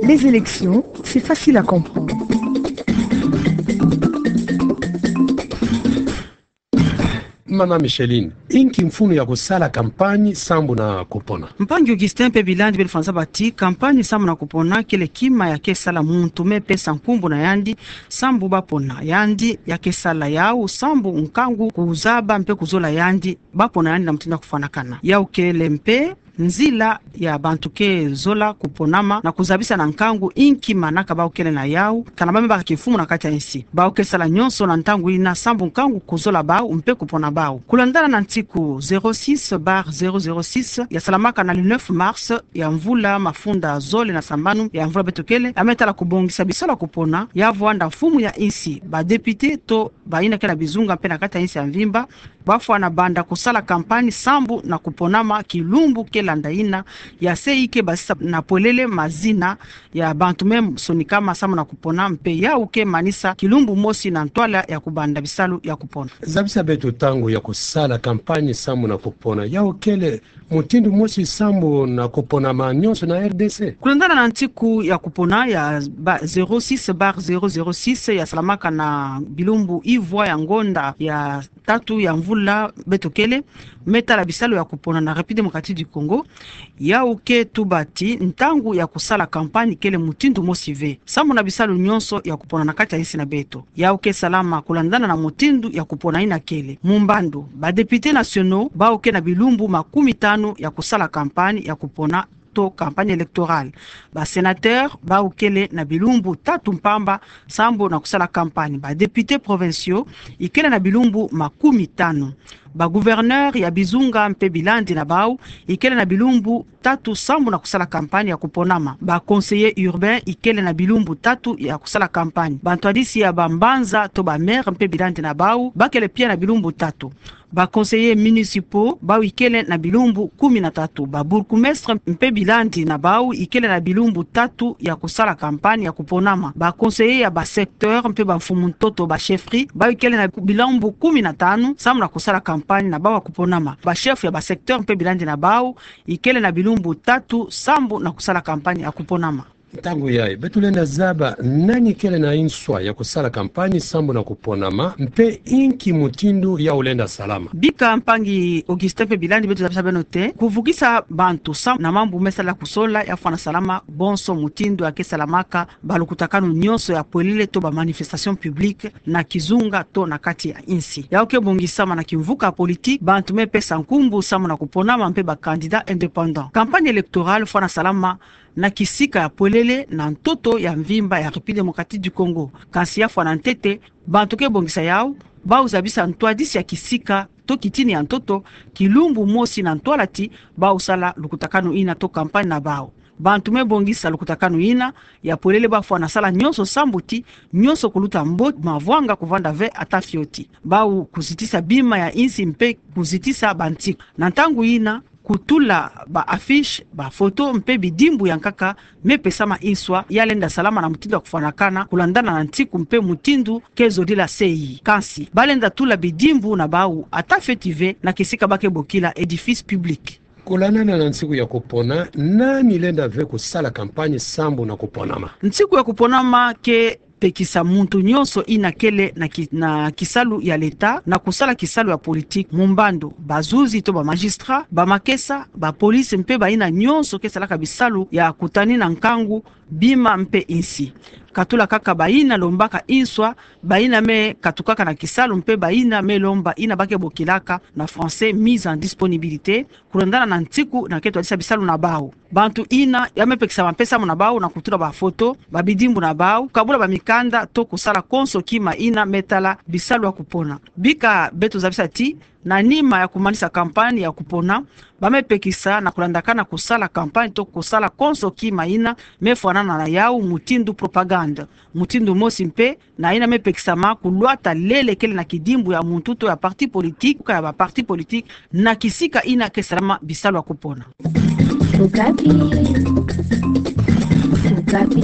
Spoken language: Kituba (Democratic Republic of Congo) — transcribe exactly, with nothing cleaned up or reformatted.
Les élections, c'est facile à comprendre. Mama Micheline, inki mfunu ya kusala kampanye sambu na kupona? Mpangi Augustin mpe Bilandi beto fwana zaba ti kampanye sambu na kupona kele kima ya kesala muntu me pesa nkumbu na yandi sambu bapona yandi, ya kesala yau sambu nkangu kuzaba mpe kuzola yandi bapona yandi na mutindu ya kufwanakana. Yau kele mpe nzila ya bantu ke zola kuponama na kuzabisa na nkangu inki manaka bau kele na yau, kana ba me baka kimfumu na kati ya insi. Bau ke sala nyonso na ntangu ina sambu nkangu kuzola bau mpe kupona bau. Kulandana na ntiku zéro six barre zéro zéro six ya salamaka na le neuf mars ya mvula mafunda zole na sambanu ya mvula beto kele, ya me tala kubongisa bisalu ya kupona, ya vwanda mfumu ya insi, ba député to bayina ke na bizunga mpe na kati ya insi ya mvimba, bafwana banda kusala kampanye sambu na kuponama kilumbu ke landa ina, ya se i ke basisa na pwelele mazina ya bantu me sonikama sambu na kupona mpe yau ke manisa kilumbu mosi na ntwala ya kubanda bisalu ya kupona. Zabisa beto ntangu ya kusala kampanye sambu na kupona, yau kele mutindu mosi sambu na kuponama nyonso na R D C. Kulandana na ntiku ya kupona ya ba zéro six barre zéro zéro six ya salamaka na bilumbu ivwa ya ngonda ya tatu ya mvula beto kele, me tala bisalu ya kupona na République Démocratique du Congo, yau ke tuba ti ntangu ya kusala kampanye kele mutindu mosi ve sambu na bisalu nyonso ya kupona na kati ya insi na beto. Yau ke salama kulandana na mutindu ya kupona ina kele. Mu mbandu, ba députés nationaux bau ke na bilumbu makumi tanu ya kusala kampanye ya kupona to campagne électorale. Ba sénateurs bau kele na bilumbu tatu mpamba sambu na kusala kampanye. Ba députés provinciaux ikele na bilumbu makumi tanu. Ba gouverneurs ya bizunga mpe bilandi na bau ikele na bilumbu tatu sambu na kusala kampanye ya kuponama. Ba conseillers urbains ikele na bilumbu tatu ya kusala kampanye. Bantwadisi ya bambanza to ba maires mpe bilandi na bau bakele pia na bilumbu tatu. Ba conseillers municipaux bau ikele na bilumbu kumi na tatu. Ba bourgmestres mpe bilandi na bau ikele na bilumbu tatu ya kusala kampanye ya kuponama. Ba conseillers ya ba secteurs mpe bamfumu ntoto, ba chefferies, bau ikele na bilumbu kumi na tanu sambu na kusala kampanye na bau ya kuponama. Ba chefs ya ba secteurs mpe bilandi na bau ikele na bilumbu tatu sambu na kusala kampanye ya kuponama. Ntangu yayi, beto lenda zaba nani kele na inswa ya kusala kampanye sambu na kuponama, mpe inki mutindu yau lenda salama. Bika mpangi Augustin mpe bilandi, beto zabisa beno ti kuvukisa bantu sambu na mambu me sala kusola ya fwana salama bonso mutindu ya ke salamaka ba lukutakanu nyonso ya pwelele to ba manifestations publiques na kizunga to na kati ya insi. Yau ke bongisama na kimvuka politique, bantu me pesa nkumbu sambu na kuponama mpe ba candidats indépendants. Campagne électorale fwana salama na kisika ya pwelele na ntoto ya mvimba ya République Démocratique du Congo. Kansi ya fwana ntete, bantu ke bongisa yau, bau zabisa ntwadisi ya kisika to kitini ya ntoto, kilumbu mosi na ntwala ti bau sala lukutakanu ina to campagne na bau. Bantu me bongisa lukutakanu ina ya pwelele bafwana sala nyonso sambu ti nyonso kuluta mbote, mavwanga kuvanda ve ata fioti. Bau kuzitisa bima ya insi mpe kuzitisa bantiku. Na ntangu ina, kutula ba affiches, ba photos mpe bidimbu ya nkaka me pesama inswa ya lenda salama na mutindu ya kufwanakana kulandana na ntiku mpe mutindu ke zodila sei. Kansi ba lenda tula bidimbu na bau ata fioti ve na kisika ba ke bokila édifice public. Kulandana na ntiku ya kupona, nani lenda ve kusala campagne sambu na kuponama? Ntiku ya kuponama ke pekisa muntu nyonso ina kele na ki-, na kisalu ya l'État na kusala kisalu ya politique, mu mbandu, bazuzi to ba magistrats, bamakesa, ba police mpe bayina nyonso ke salaka bisalu ya kutani na nkangu, bima mpe insi. Katula kaka bayina lombaka inswa, bayina me katukaka na kisalu mpe bayina me lomba ina ba ke bokilaka na français mise en disponibilité, kulandana na ntiku na ke twadisa bisalu na bau. Bantu ina ya me pekisama mpe sambu na bau na kutula ba photos, ba bidimbu na bau, kabula ba mikanda to kusala konso kima ina me tala bisalu ya kupona. Bika beto zabisa ti, na nima ya kumanisa campagne ya kupona, ba me pekisa na kulandakana kusala campagne to kusala konso kima ina me fwanana na yau mutindu propagande. Mutindu mosi mpe na ina me pekisama kulwata lele kele na kidimbu ya muntu to ya parti politique, ka ya ba parti politique, na kisika ina ke salama bisalu ya kupona. Okapi. Okapi.